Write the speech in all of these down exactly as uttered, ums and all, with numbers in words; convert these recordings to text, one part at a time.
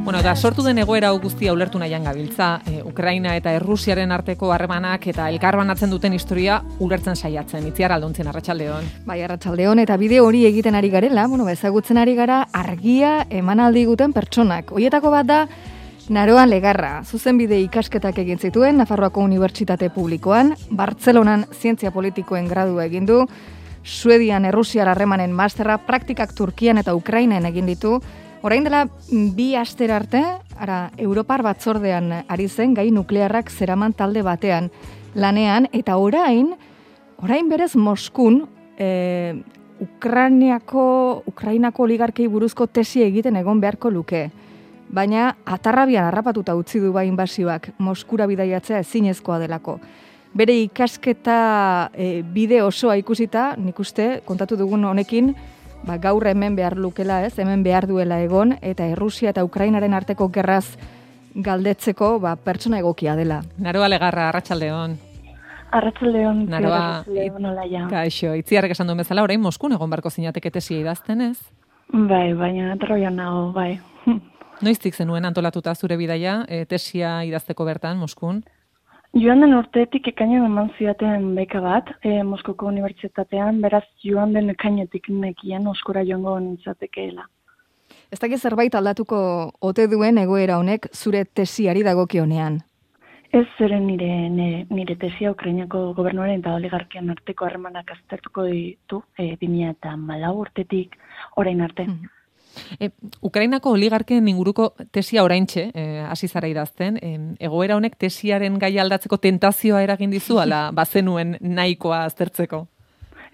Bueno, eta sortu den egoera hau guztia ulertu nahian gabiltza, e, Ukraina eta Errusiaren arteko harremanak eta elkarbanatzen duten historia ulertzen saiatzen. Itziar Aldontzien, arratsaldeon. Bai, arratsaldeon, eta bide hori egiten ari garela, bueno, ezagutzen ari gara argia emanaldi guten pertsonak. Hoietako bat da Naroa Legarra, zuzenbide ikasketak egin zituen Nafarroako Unibertsitate Publikoan, Bartzelonan zientzia politikoen gradua egin du, Suedian Errusiar harremanen masterra, praktikak Turkian eta Ukrainan egin ditu. Orain dela bi aster arte, ara, Europar batzordean ari zen gai nuklearrak zeraman talde batean lanean, eta orain, orain berez Moskun, e, Ukrainiako, Ukrainako oligarkei buruzko tesi egiten egon beharko luke. Baina atarrabian harrapatuta utzi du bai inbasioak, Moskura bidaiatzea ezinezkoa delako. Bere ikasketa e, bide osoa ikusita, nik uste, kontatu dugun honekin, ba, gaur hemen behar lukela ez, hemen behar duela egon, eta Errusia eta Ukrainaren arteko gerraz galdetzeko ba, pertsona egokia dela. Naroa Legarra, arratsaldeon. Arratsaldeon, Naroa, arratsaldeon olaia. Kaixo, Itziarrek esan duen bezala, orain Moskun egon barko zinateke tesia idazten ez? Bai, baina troian nago, bai. Noiztik zenuen antolatuta zure bidaia, e, tesia idazteko bertan, Moskun? Joan den urteetik ekainean eman zidaten beka bat, e, Moskoko Unibertsitatean, beraz joan den ekainetik nekien Moskura joango nintzatekeela. Ez dakit zerbait aldatuko ote duen egoera honek zure tesiari dagokionean? Ez zeren nire, nire, nire tesia Ukrainako gobernuaren eta oligarkian arteko harremanak aztertuko ditu, e, bi mila hamalau urtetik orain arte. Mm. E, Ukrainako oligarken inguruko tesia oraintxe, e, hasi zara idazten, e, egoera honek tesiaren gai aldatzeko tentazioa eragin dizu, ala bazenuen nahikoa aztertzeko?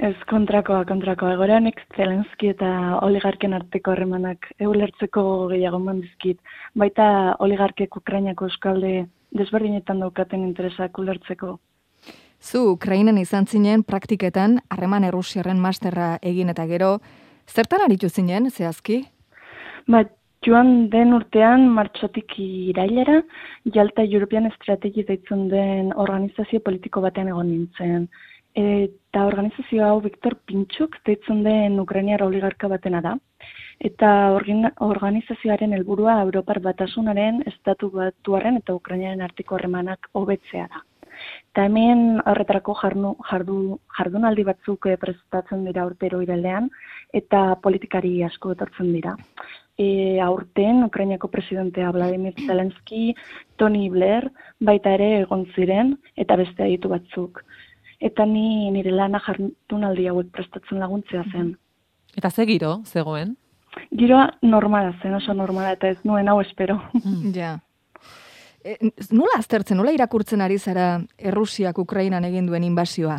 Ez, kontrakoa, kontrakoa. Egoera honek Zelenski eta oligarken arteko harremanak eulertzeko gehiago mandizkit. Baita oligarkek Ukrainako eskalde desberdinetan daukaten interesak ulertzeko. Zu Ukrainan izan zinen praktiketan harreman Errusiarren masterra egin eta gero, zertan aritu zinen, zehazki? Ba, joan den urtean, martxotik irailera, Jalta European Strategy deitzen den organizazio politiko batean egon nintzen. Eta organizazio hau Viktor Pinchuk deitzen den Ukrainiar oligarka batena da. Eta organizazioaren helburua Europar Batasunaren, Estatu Batuaren eta Ukrainaren arteko harremanak hobetzea da. Eta hemen horretarako jardu, jardu, jardunaldi batzuk prestatzen dira urtero irailean, eta politikari asko etortzen dira. E, aurten, Ukrainako presidentea Vladimir Zelensky, Tony Blair, baita ere egon ziren, eta beste aditu batzuk. Eta ni nire lana jardunaldi hauek prestatzen laguntzea zen. Eta ze giro, zegoen? Giroa normala zen, oso normala, eta ez nuen hau espero. Mm. Ja. E, nola aztertzen, nola irakurtzen ari zara Errusiak Ukrainan egin duen inbasioa?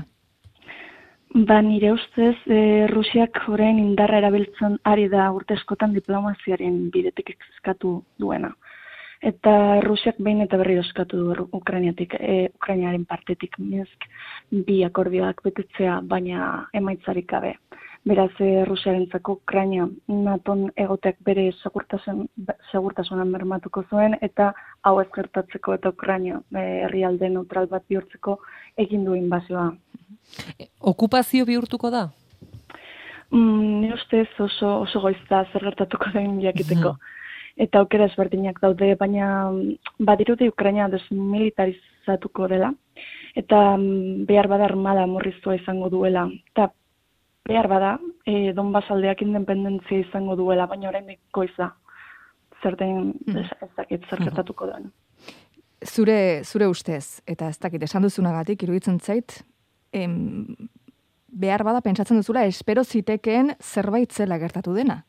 Ba, nire ustez, e, Rusiak orain indarra erabiltzen ari da urte askotan diplomaziaren bidetik eskatu duena. Eta Rusiak behin eta berriro eskatu du Ukrainiatik, e, Ukrainaren partetik Minsk bi akordioak betetzea, baina emaitzarik gabe. Beraz, e, Rusiarentzako Ukraina naton egoteak bere segurtasun, segurtasunan bermatuko zuen, eta hau ez gertatzeko eta Ukraina e, herrialde neutral bat bihurtzeko egin du inbazioa. Okupazio bihurtuko da? Mm, ni ustez oso, oso goizta zer gertatuko den jakiteko. Eta aukera ezberdinak daude, baina badirudi Ukraina desmilitarizatuko dela, eta behar bada armada murriztua izango duela. Eta behar bada, e, Donbas aldeak independentzia izango duela, baina oraindik goiza. Zer den, ez, ez dakit zer gertatuko den. Zure, zure ustez, eta ez dakit esan duzunagatik, iruditzen zait, em, behar bada pentsatzen duzula, espero zitekeen zerbait zela gertatu dena.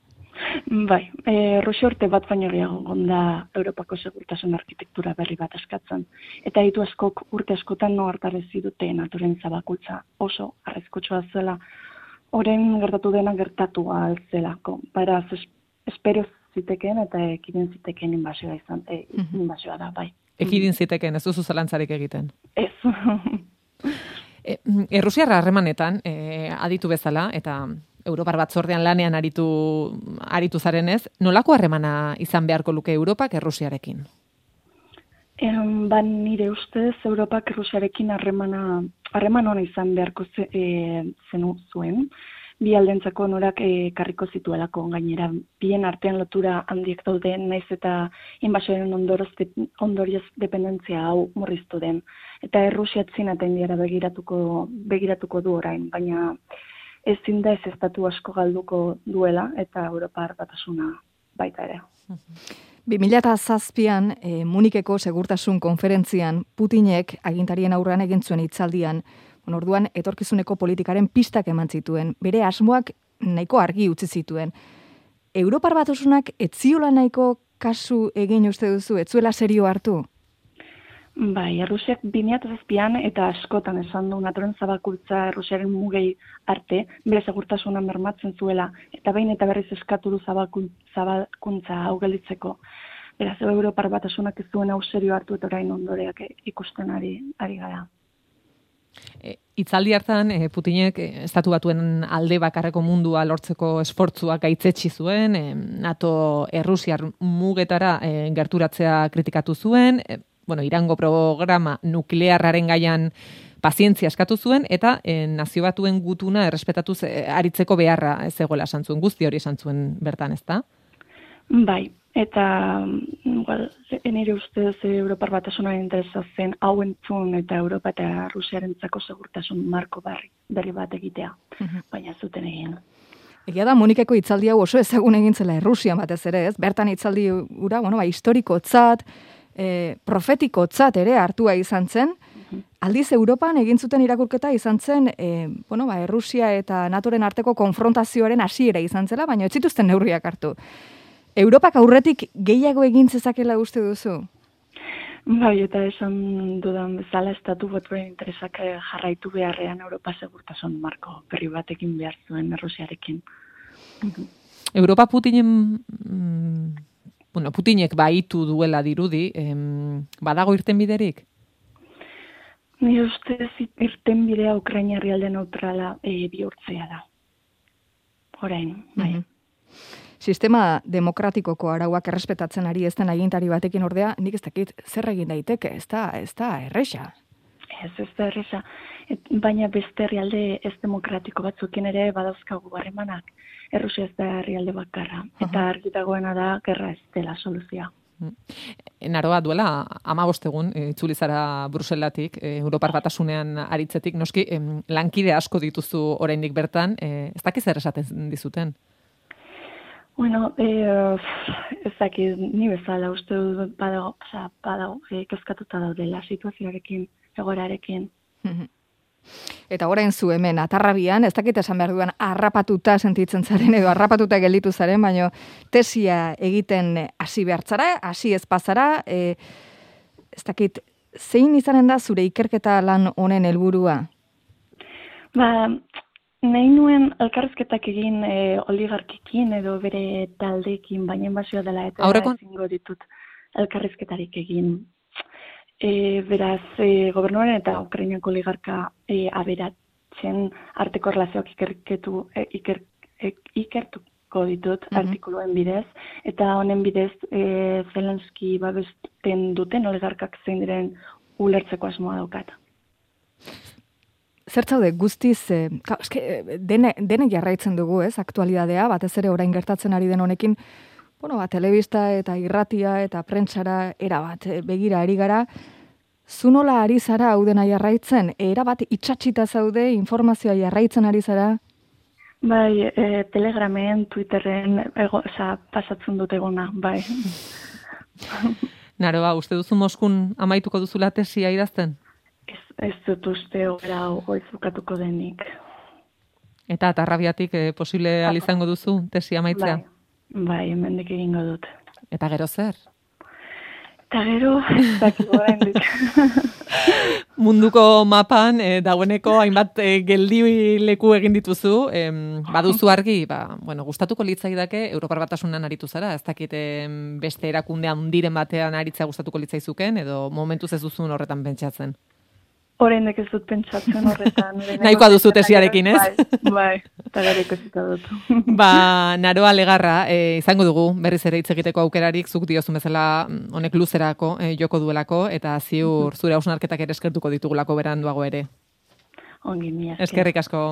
Bai, e, Rusia urte bat baino gehiago gonda Europako segurtasun arkitektura berri bat eskatzen. Eta ditu askok urte askotan no hartarezi dute naturen zabakultza oso arriskutsua zela. Orain gertatu dena gertatu zelako. Beraz, espero zitekeen eta ekidin zitekeen inbasioa izan, e, inbasioa da, bai. Ekidin zitekeen, ez duzu zalantzarik egiten? Ez. e, Errusiarra harremanetan, e, aditu bezala, eta Europar batzordean lanean aritu, aritu zarenez, nolako harremana izan beharko luke Europak Errusiarekin? Em, ba, nire ustez, Europak Errusiarekin harremana harreman ona izan beharko ze, e, zenu zuen. bi aldentzako onurak ekarriko zituelako, gainera bien artean lotura handiek daude, naiz eta inbasioaren ondorioz dependentzia hau murriztu den. Eta Errusia Txina eta Indiara begiratuko, begiratuko du orain, baina ezin da ez estatu asko galduko duela eta Europar Batasuna baita ere. bi mila zazpian, e, Munikeko segurtasun konferentzian, Putinek agintarien aurrean egin zuen hitzaldian, bueno, orduan etorkizuneko politikaren pistak eman zituen, bere asmoak nahiko argi utzi zituen. Europar Batasunak ez ziola nahiko kasu egin uste duzu, ez zuela serio hartu? Bai, Errusiak bi mila zazpian eta askotan esan du naturen zabalkuntza Errusiaren mugei arte, bere segurtasuna bermatzen zuela, eta behin eta berriz eskatu du zabalkuntza hau gelditzeko. Beraz, Europar Batasunak ez duen hau serio hartu eta orain ondoreak ikusten ari, ari gara. E, itzaldi hartan, e, Putinek e, estatu batuen alde bakarreko mundua lortzeko esfortzuak gaitzetsi zuen, e, NATO Errusiar mugetara e, gerturatzea kritikatu zuen, e, bueno, Irango programa nuklearraren gaian pazientzia eskatu zuen, eta e, nazio batuen gutuna errespetatuz e, aritzeko beharra ez egoela esan zuen, guzti hori esan zuen bertan, ezta? Bai, eta well, nire ustez Europar Batasunaren interesa zen hau entzun eta Europa eta Rusiarentzako segurtasun marko berri, berri bat egitea, baina zuten egin. Egia da, Munikeko hitzaldi hau oso ezagun egin zela Errusian batez ere, ez? Bertan hitzaldi ura, bueno, ba, historikotzat, e, profetikotzat ere hartua izan zen, aldiz Europan egin zuten irakurketa izan zen, e, bueno, ba, Errusia eta NATOren arteko konfrontazioaren hasiera izan zela, baina ez zituzten neurriak hartu. Europak aurretik gehiago egin zezakela uste duzu? Bai, eta esan dudan bezala estatu batuen interesak jarraitu beharrean Europa segurtasun marko berri batekin behar zuen Errusiarekin. Europa Putinen, mm, bueno, Putinek baitu duela dirudi, em, badago irtenbiderik? Ni ustez irtenbidea Ukraina herrialde neutrala e, bihurtzea da. Orain, bai. Mm-hmm. Sistema demokratikoko arauak errespetatzen ari ez den agintari batekin ordea, nik ez dakit zer egin daiteke, ez da, ez da erresa. Ez, ez da erresa. Et, baina beste herrialde ez demokratiko batzukin ere badauzkagu harremanak. Errusia ez da herrialde bakarra. Eta argi dagoena da, gerra ez dela soluzioa. Naroa duela, hamabost egun, itzuli zara Bruselatik, Europar Batasunean aritzetik, noski, lankide asko dituzu oraindik bertan, ez dakiz zer esaten dizuten? Bueno, eh, ez dakit, ni bezala uste dut badago, oza, badago, eh, kezkatuta daudela situazioarekin, egorarekin. Eta orain zu hemen, atarrabian, ez dakit esan behar duan, harrapatuta sentitzen zaren, edo harrapatuta gelditu zaren, baino tesia egiten hasi behartzara, hasi ez pasara, eh, ez dakit, zein izanen da zure ikerketa lan honen helburua? Ba, nahi nuen elkarrizketak egin e, oligarkikin edo bere taldeekin, baina inbazioa dela eta Aurrekon... ezingo ditut elkarrizketarik egin. E, beraz, e, gobernuaren eta Ukrainako oligarka e, aberatzen arteko relazioak ikerketu, e, iker, e, ikertuko ditut mm-hmm. artikuluen bidez, eta honen bidez e, Zelenski babesten duten oligarkak zein diren ulertzeko asmoa daukat. Zer zaude guztiz, eh, ka, eske, dene, dene jarraitzen dugu, ez, aktualidadea, batez ere orain gertatzen ari den honekin, bueno, ba, telebista eta irratia eta prentsara erabat begira ari gara, zu nola ari zara hau dena jarraitzen, erabat itxatxita zaude, informazioa jarraitzen ari zara? Bai, e, Telegramen, Twitterren, ego, oza, pasatzen dut egona, bai. Naroa, uste duzu Moskun amaituko duzula tesia idazten? Ez, ez dut uste obera goiz bukatuko denik. Eta atarrabiatik eh, posible alizango duzu tesia amaitzea? Bai, bai, hemendik egingo dut. Eta gero zer? Eta gero, dakik oraindik. Munduko mapan, eh, dagoeneko hainbat eh, geldi leku egin dituzu, eh, baduzu argi, ba, bueno, gustatuko litzaidake Europar Batasunan aritu zara, ez dakit eh, beste erakunde handiren batean aritzea gustatuko litzaizuken, edo momentuz ez duzun horretan pentsatzen? Oraindik ez dut pentsatzen horretan. Nahikoa duzu tesiarekin, ez? Bai, bai, eta gero ikusita dut. Ba, Naroa Legarra, e, izango dugu, berriz ere hitz egiteko aukerarik, zuk diozun bezala honek luzerako, e, joko duelako, eta ziur zure hausnarketak ere eskertuko ditugulako beranduago ere. Ongi, mila. Eskerrik asko.